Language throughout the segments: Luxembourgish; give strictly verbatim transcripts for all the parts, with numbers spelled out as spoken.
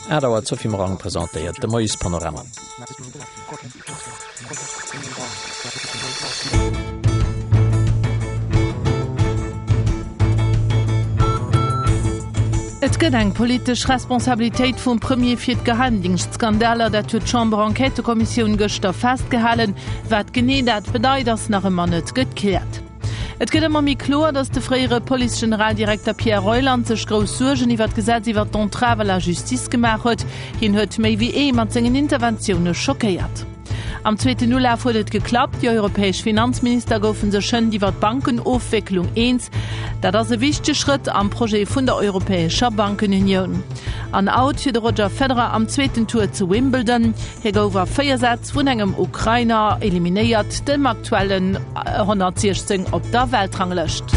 Aacht Auer, D'Sophie Morang presentéiert de Moiespanorama. Et gëtt eng politesch Responsabilitéit vum Premier fir d'Geheimdingschtskandaler, dat huet d'Chamber-Enquêtëkommissioun gëschter festgehalen. Wat genee dat bedeit, ass nach ëmmer net gekläert. Et gëtt ëmmer méi kloer, datt de fréiere Police-Generaldirekter Pierre Reuland sech grouss Suergen iwwer d'Gesetz iwwer d'Entrave à la justice gemaach huet. Hien huet méi wéi ee mat sengen Interventioune schockéiert. Am zweeten Ulaf huet et geklappt, Déi europäesch Finanzminister goufe sech hënt iwwer d'Bankenofwécklung eens. Dat ass e wichtege Schrëtt am Projet vun der europäescher Bankenunioun. An Out fir de Roger Federer am zweeten Tour zu Wimbledon. Hie gouf a véier Sätz vun engem Ukrainer eliminéiert, dem aktuellen honnertsiechzéng op der Weltranglëscht.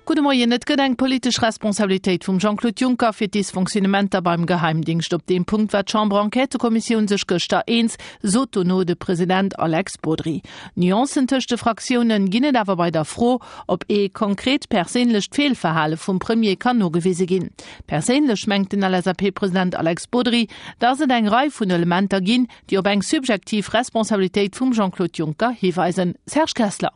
Gudde Moien, Et gëtt eng politesch Responsabilitéit vum Jean-Claude Juncker fir d'Dysfonctionnementer beim Geheimdingscht. Op deem Punkt war d'Chamber-Enquêtëkommissioun sech gëschter eens, sot dono de President Alex Bodry. Nuancen tëscht de Fraktioune ginn et awer bei der Fro, ob ee konkret perséinlecht Feelverhale vum Premier kann nogewise ginn. Perséinlech mengt den L S A P-President Alex Bodry, datt et eng Rei vun Elementer ginn, déi op eng subjektiv Responsabilitéit vum Jean-Claude Juncker hiweisen. Serge Kessler.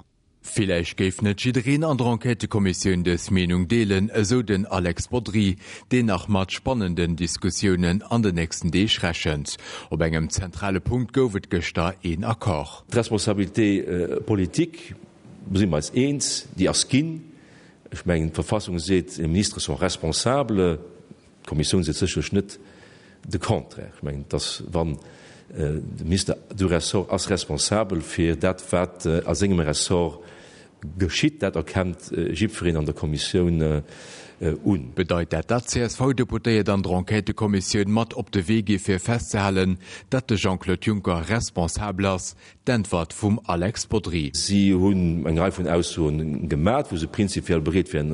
Villäicht géif net jiddereen an der Enquêtëkommissioun dës Meenung deelen, esou den Alex Bodry, deen nach mat spannenden Diskussiounen an den nächsten Deeg rechent. Op engem zentrale Punkt gouf et gëschter een Accord. D'Responsabilité politique, do si mer eis eens, déi ass ginn. Ech mengen, d'Verfassung seet, les ministres sont responsables. D'Kommissioun seet sécherlech net de Contraire. Ech mengen, dass wann de Minister du ressort ass responsabel fir dat, wat a sengem Ressort geschitt, dat erkennt jiddwereen an der Kommissioun un. Bedeit dat, datt d'C S V-Deputéiert an der Enquêtëkommissioun mat op de Wee gi fir festzehalen, datt de Jean-Claude Juncker responsabel ass? D'Äntwert vum Alex Bodry. Si hunn eng Rei vun Aussoen gemat, wou se prinzipiell bereet wären,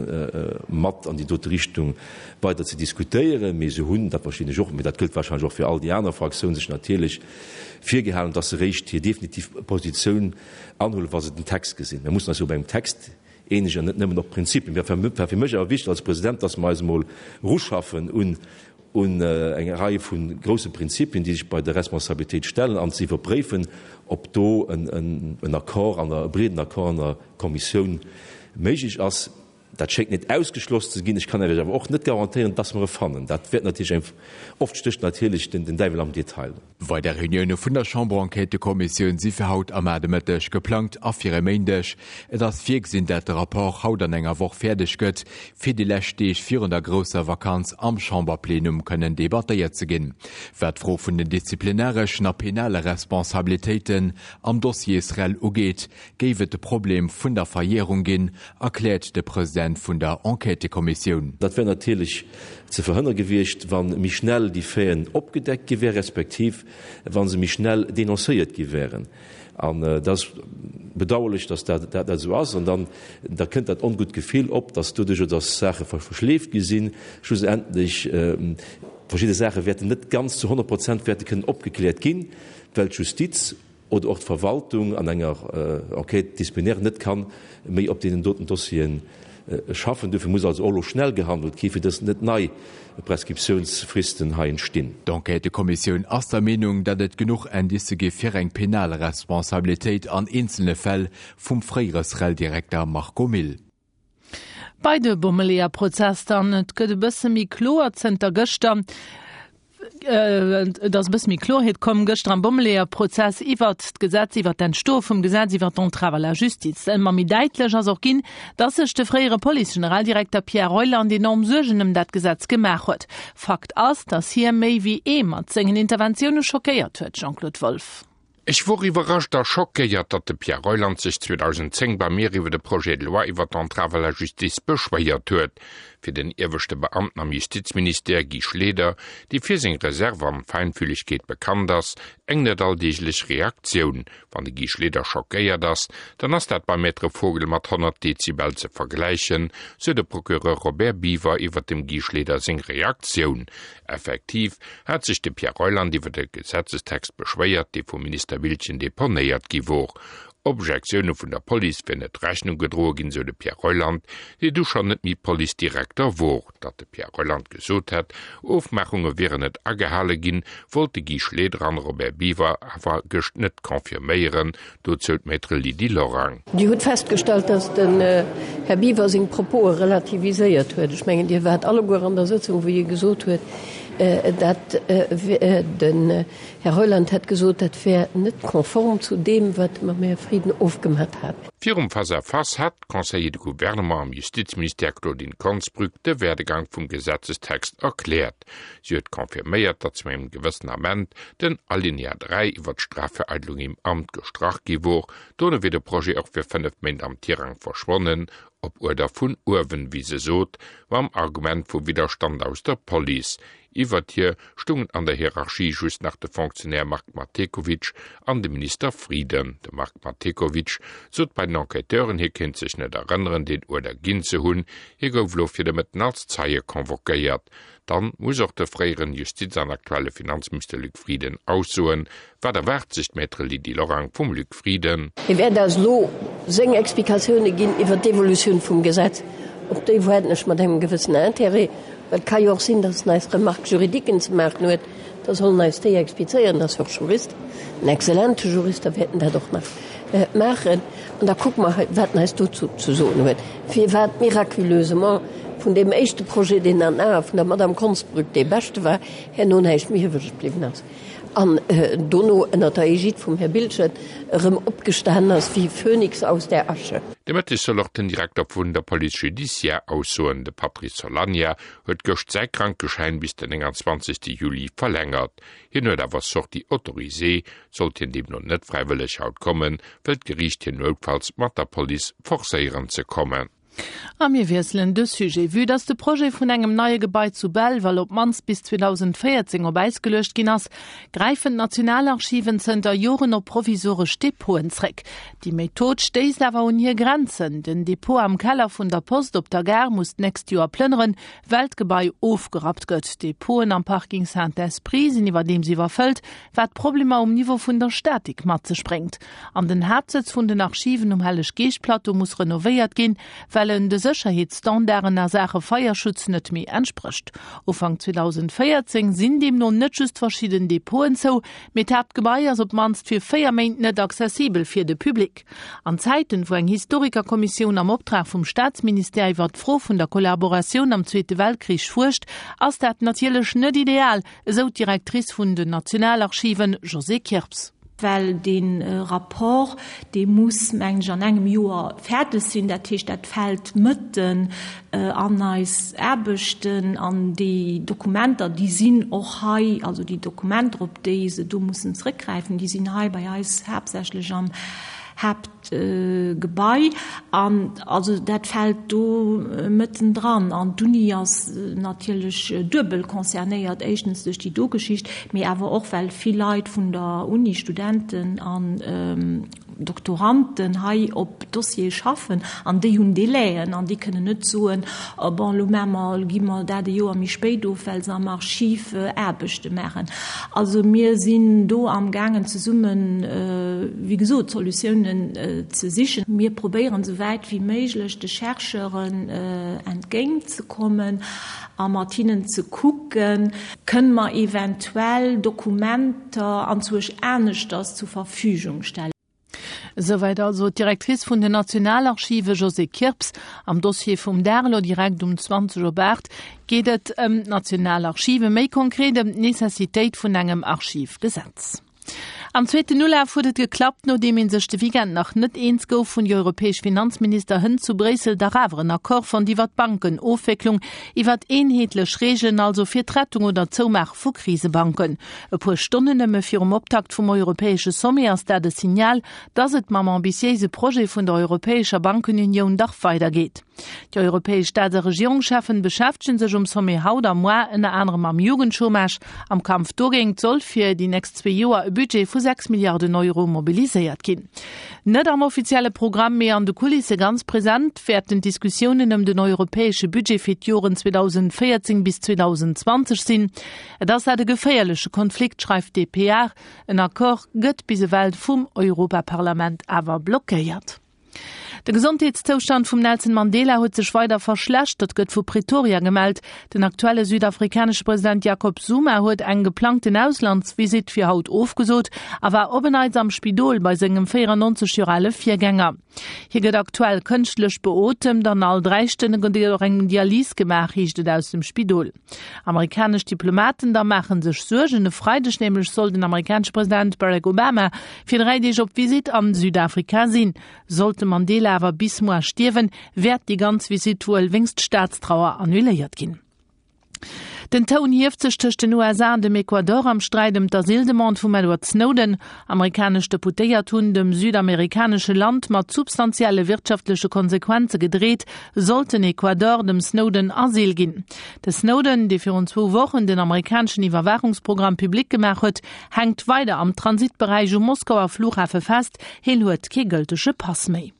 mat an déi dote Richtung weider ze diskutéieren. Mee se hunn, dat verstinn ech och, mee dat gëllt wahrscheinlech och fir all déi aner Fraktiounen, sech natierlech virgehalen, datt se eréischt hir definitiv Positioun anhuelen, wa se den Text gesinn. Mir mussen eis jo op engem Text eenegen an net nëmmen op Prinzipien. War fir mech awer wichteg als President, datt mer eis emol eruschaffen un un eng Rei vu grousse Prinzipien, déi sech bei der Responsabilitéit stellen, an ze iwwerpréifen, ob do en Accord an der, e breeden Accord an der Kommissioun méiglech ass. Dat schéngt net ausgeschloss ze ginn. Ech kann Iech awer och net garantéieren, dass mer e fannen. Dat wäert natierlech eng, oft stécht natierlech den Däiwel am Detail. Weider Reunioune vun der Chamber-Enquêtëkommissioun si fir haut a mar de Mëtteg geplangt a fir e Méindeg. Et ass virgesinn, dat de Rapport haut an enger Woch fäerdeg gëtt, fir déi lescht Deeg virun der grousser Vakanz am Chamberplenum kënnen debattéiert ze ginn. Wat d'Fro vun den disziplinareschen a penale Responsabilitéiten am Dossier SREL ugeet, géif et de Problem vun der Verjärung ginn, erkläert de President vun der Enquêtëkommissioun. Dat wär natierlech ze verhënnere gewiescht, wa méi schnell déi Faiten opgedeckt gi wären, respektiv wa se méi schnell denoncéiert gi wären. An et ass bedauerlech, dass dat dat esou ass. An dann da kënnt dat ongutt Gefill op, dass doduerjer, dass Saache verschleeft gi sinn, schlussendlech verschidde Saache wäerten net ganz zu honnert Prozent wäerte kënnen opgekläert ginn, well d'Justiz oder och d'Verwaltung an enger Enquête disciplinaire net ka méi op deenen doten Dossieren schaffen. Dofir muss also och elo schnell gehandelt gi fir dass net nei Prescriptiounsfristen hei entstinn. D'Enquêtëkommissioun ass der Meenung, datt et genuch Indicë gi fir eng penal Responsabilitéit an eenzele Fäll vum fréiere SREL-Direkter Marco Mille. Bei de Bommeleeër-Prozess dann, et gëtt e bësse méi kloer zënter gëschter. Et ass e bësse méi Kloerheet komm gëschter am Bommeleeër-Prozess iwwert d'Gesetz, iwwert d'Entstoe vum Gesetz iwwert d'Entrave à la justice. Ëmmer méi däitlech ass och ginn, datt sech de fréiere Police-Generaldirekter Pierre Reuland enorm Suergen ëm dat Gesetz gemaach huet. Fakt ass, datt hie méi wéi ee mat sengen Interventioune schockéiert huet, Jean-Claude Wolff. Ech wor iwwerrascht a schockéiert, datt de Pierre Reuland sech zweedausendzéng bei mir iwwer de Projet de loi iwwer d'Entrave à la justice beschwéiert huet. Fir den ieweschte Beamten am Justizministère Guy Schleder, dee fir seng Reserve an Feinfühlegkeet bekannt ass, eng net alldeeglech Reaktioun. Wann de Guy Schleder schockéiert ass, dann ass dat beim Maître Vogel mat honnert Dezibel ze vergläichen, sou de Procureur Robert Biever iwwer dem Guy Schleder seng Reaktioun. Effektiv hat sech de Pierre Reuland iwwer de Gesetzestext beschwéiert, dee vum Minister Biltgen deponéiert gi wor. Objektioune vun der Police wier net Rechnung gedroe ginn, sou de Pierre Reuland, dee du schonn net méi Policedirekter wor. Datt de Pierre Reuland gesot hätt, Ofmaachunge wieren net agehale ginn, wollt de Guy Schleder an Robert Biever awer gëscht net confirméieren, dozou d'Maître Lydie Lorang. Dir hutt festgestallt, datt den Här Biever seng Propose relativiséiert huet. Ech mengen, Dir waart alleguer an der Sëtzung, wou hie gesot huet, dat den Här Reuland hätt gesot, dat wär net konform zu deem, wat e mam Här Frieden ofgemat hat. Virum Face-à-face hat d'Conseiller de Gouvernement am Justizministère Claudine Konsbrück de Werdegang vum Gesetzestext erkläert. Si huet confirméiert, datt zu engem gewëssen Ament den Alinéa dräi iwwer d'Strafvereidelung im Amt gestrach gi wor. Dono wier de Projet och fir fënnef Méint am Tirang verschwonnen, op Uerder vun uewen, wéi se sot, mam Argument vu Widderstand aus der Police. Iwwert hir stungen an der Hierarchie just nach de Fonctionnaire Marc Mathekowitsch an de Minister Frieden. De Marc Mathekowitsch sot bei den Enquêteuren, hie kéint sech net erënneren, deen Uerder ginn ze hunn. Hie gouf elo fir de Mëtten als Zeie convoquéiert. Dann muss och de fréieren Justiz an aktuelle Finanzminister Luc Frieden aussoen. Wat erwaart sech d'Maître Lydie Lorang vum Luc Frieden? Hie wäert eis elo seng Explikatioune ginn iwwer d'Evolutioun vum Gesetz. Op déi waarden ech mat engem gewëssenen Intérêt, well et ka jo och sinn, dass en eis Remarques juridiquen ze maachen huet. Da soll en eis déi explizéieren. En ass jo och Jurist, en exzellente Jurist, da wäert en dat och nach maachen. An da kucke mer, wat en eis dozou ze soen huet, firwat miraculeusement vun deem éischte Projet, deen an den Ae vun der Madame Konsbrück dee beschte war, herno näischt méi iwwreg bliwwen ass an dono ënnert der Egide vum Här Biltgen erëm opgestanen ass wéi Phönix aus der Asche. De Mëtteg soll och den Direkter vun der Police judiciaire aussoen. De Patrice Solagna huet gëscht säi Krankeschäin bis den nénganzwanzegste Juli verlängert. Hien huet awer Sortie autorisée. Sollt hien deemno net fräiwëlleg haut kommen, wëllt d'Geriicht hien noutfalls mat der Police forcéieren ze kommen. A mir wiesselen de Sujet. Vue dass de Projet vun engem neie Gebai zu Belval op d'mannst bis zweedausendvéierzéng op Äis geluecht ginn ass, gräifen d'Nationalarchiven zënter Joren op provisoresch Depoten zréck. Déi Method stéisst awer un hir Grenzen. Den Depot am Keller vun der Post op der Gare muss d'nächst Joer plënneren, well d'Gebai ofgerappt gëtt. D'Depoten am Parking Saint-Esprit sinn iwwerdeems iwwerfëllt, wat Problemer um Niveau vun der Statik mat sech bréngt. An den Haaptsëtz vun den Archiven um Helleg-Geescht-Plateau muss renovéiert ginn, well en de Sécherheetsstandarden a Saache Feierschutz net méi entsprécht. Ufank zweedausendvéierzéng sinn deemno net just verschidden Depoten zou, mee d'Haaptgebai ass op d'mannst fir véier Méint net accessibel fir de Public. An Zäiten, wou eng Historikerkommissioun am Optrag vum Staatsministère iwwer d'Fro vun der Kollaboratioun am Zweete Weltkrich fuerscht, ass dat natierlech net ideal, esou d'Directrice vun den Nationalarchiven, Josée Kirps. Well dee Rapport, dee muss, mengen ech, an engem Joer fäerdeg sinn. Dat heescht, dat fält mëtten an eis Aarbechten. An déi Dokumenter, déi sinn och hei, also déi Dokumenter, op déi se do mussen zrëckgräifen, déi sinn hei bei eis haaptsächlech am Haaptgebai. An also dat fält do mëtten dran. An d'Uni ass natierlech duebel concernéiert, éischtens duerch déi do Geschicht, mee awer och well vill Leit vun der Uni, Studenten an Doktoranden, hei op Dossiere schaffen an déi hunn Délaiën an déi kënnen net soen, bon, elo maache mer, elo gi mer dat e Joer méi spéit of, well se am Archiv Aarbechte maachen. Also mir sinn do amgaangen zesummen, wéi gesot, Solutiounen ze sichen. Mir probéieren esou wäit wéi méiglech de Chercheuren entgéintzekommen a mat hinnen ze kucken, kënne mer eventuell Dokumenter anzwousch aneschters zur Verfügung stellen. Esouwäit also d'Directrice vun den Nationalarchive Josée Kirps. Am Dossier vum Dag elo direkt um zwanzeg op aacht geet et ëm d'Nationalarchive, méi konkret ëm d'Necessitéit vun engem Archivgesetz. Am zweeten Ulaf huet et geklappt, nodeem ee sech de Weekend nach net eens gouf, hunn déi europäesch Finanzminister hënt zu Bréissel dach awer en Accord fonnt iwwer d'Bankenofwécklung, iwwer eenheetlech Reegelen also fir d'Rettung oder d'Zoumaache vu Krisebanken. E puer Stonnen nëmme virum Optakt vum europäesche Sommet ass dat e Signal, datt et mam ambitiéise Projet vun der europäescher Bankenunioun dach weidergeet. Déi europäesch Staats a Regierungscheffen beschäftegen sech um Sommet haut a muer ënner anerem mam Jugendchômage. Am Kampf dogéint soll fir déi nächst zwee Joer e Budget vu sechs Milliarden Euro mobiliséiert ginn. Net am offizielle Programm, mee an de Kulisse ganz present wäerten d'Diskussiounen ëm den europäesche Budget fir d'Joren zweedausendvéierzéng bis zweedausendzwanzeg sinn. Et ass dat e geféierleche Konflikt, schreift d'dpa. En Accord gëtt bis ewell vum Europaparlament awer blockéiert. De Gesondheetszoustand vum Nelson Mandela huet sech weider verschlechtert, gëtt vu Pretoria gemellt. Den aktuelle südafrikanesche President Jacob Zuma huet eng geplangten Auslandsvisitt fir haut ofgesot a war op en Neits am Spidol bei sengem véierannonzeg Joer ale Virgänger. Hie gëtt aktuell kënschtlech beotemt an all dräi Stonne gëtt och eng Dialys gemaach, heescht et aus dem Spidol. Amerikanesch Diplomaten da maache sech Suergen. E Freideg nämlech soll den amerikanesche President Barack Obama fir dräi Deeg op Visitt an Südafrika sinn. Sollt de Mandela awer bis muer stierwen, wäert déi ganz Visitt wuel wéinst Staatstrauer annuléiert ginn. Den Toun hieft sech tëscht den U S A an dem Ecuador am Sträit ëm d'Asyldemande vum Edward Snowden. Amerikanesch Deputéiert hunn dem südamerikanesche Land mat substantielle wirtschaftleche Konsequenze gedreet, sollt den Ecuador dem Snowden Asyl ginn. De Snowden, dee virun zwou Wochen den amerikaneschen Iwwerwaachungsprogramm public gemaach huet, hänkt weider am Transitberäich um Moskauer Flughafe fest, hien huet kee gëltege Pass méi.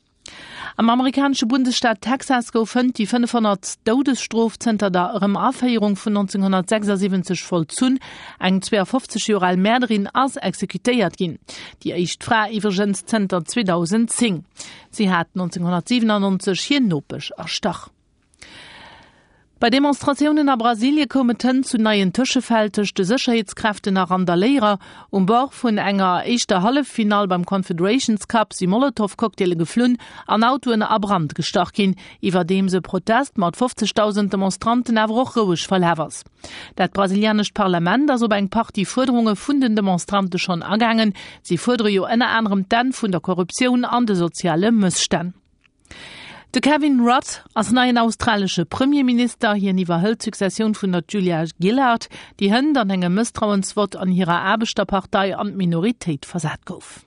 Am amerikanesche Bundesstaat Texas gouf hënt déi fënnefhonnertst Doudesstrof zënter der Erëm-Aféierung vun nonzénghonnertsechsasiwwenzeg vollzunn. Eng zweeafofzeg Joer al Mäerderin ass exekutéiert ginn. Déi éischt Fra iwwregens zënter zweedausendzéng. Si hat nonzénghonnertsiwenannonzeg hir Nopesch erstach. Bei Demonstratiounen a Brasilie koum et hënt zu neien Tëschefäll tëscht de Sécherheetskräften a Randaléierer. Um Bord vun enger éischter Halleffinall beim Confederations Cup si Molotow-Cocktaile geflunn an Autoen a Brand gestach ginn, iwwerdeems e Protest mat fofzegdausend Demonstranten awer och roueg verlaf ass. Dat brasilianescht Parlament ass op eng Partie Fuerderunge vun den Demonstrante schonn agaangen. Si fuerdere jo ënner anerem d'Enn vun der Korruptioun an de soziale Mësstänn. De Kevin Rudd ass neien australesche Premierminister. Hien iwwerhëlt d'Successioun vun der Julia Gillard, déi hënt an engem Mësstrauensvott an hirer Aarbechterpartei an d'Minoritéit versat gouf.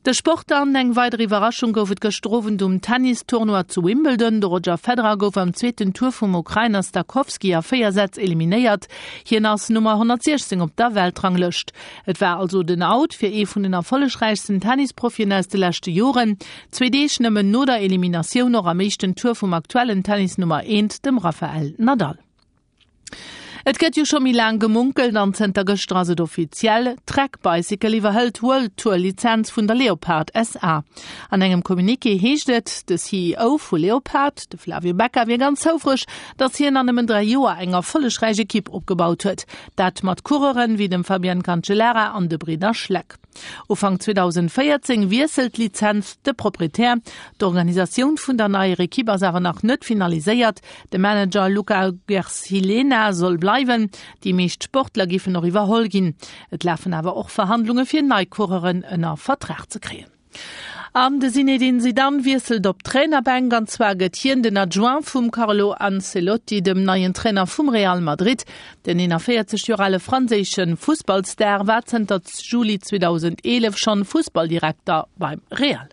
De Sport dann, Eng weider Iwwerraschung gouf et gëschter Owend um Tennis-Tournoi zu Wimbledon. De Roger Federer gouf am zweeten Tour vum Ukrainer Stakhovsky a véier Sätz eliminéiert. Hien ass Nummer honnertsiechzéng op der Weltranglëscht. Et war also den Out fir ee vun den erfollegräichsten Tennisprofien aus de leschte Joren. Zwee Deeg nëmmen no der Eliminatioun och am éischten Tour vum aktuellen Tennis-Nummer eent, dem Rafael Nadal. Et gëtt jo scho méi laang gemunkelt an zënter gëschter ass et offiziell, Trek Bicycle iwwerhëlt d'World Tour Lizenz vun der Leopard S A. An engem Communiqué heescht et, de C E O vu Leopard, de Flavio Becca, wier ganz houfreg, datt hien an nëmmen dräi Joer eng erfollegräich Ekipp opgebaut huet. Dat mat Coureuren wéi dem Fabian Cancellara an de Bridder Schleck. Ufank zweedausendvéierzéng wiesselt d'Lizenz de Proprietär. D'Organisatioun vun der neier Ekipp ass awer nach net finaliséiert. De Manager Luca Guercilena soll bleiwen, déi meescht Sportler géifen och iwwerholl ginn. Et lafen awer och Verhandlunge fir nei Coureuren ënner Vertrag ze kréien. An de Zinedine Zidane wiesselt op d'Trainerbänk, an zwar gëtt hien den Adjoint vum Carlo Ancelotti, dem neien Trainer vum Real Madrid. Den eenanvéierzeg Joer ale franséische Fussballstar war zënter Juli zweedausendeelef schonn Fussballdirekter beim Real.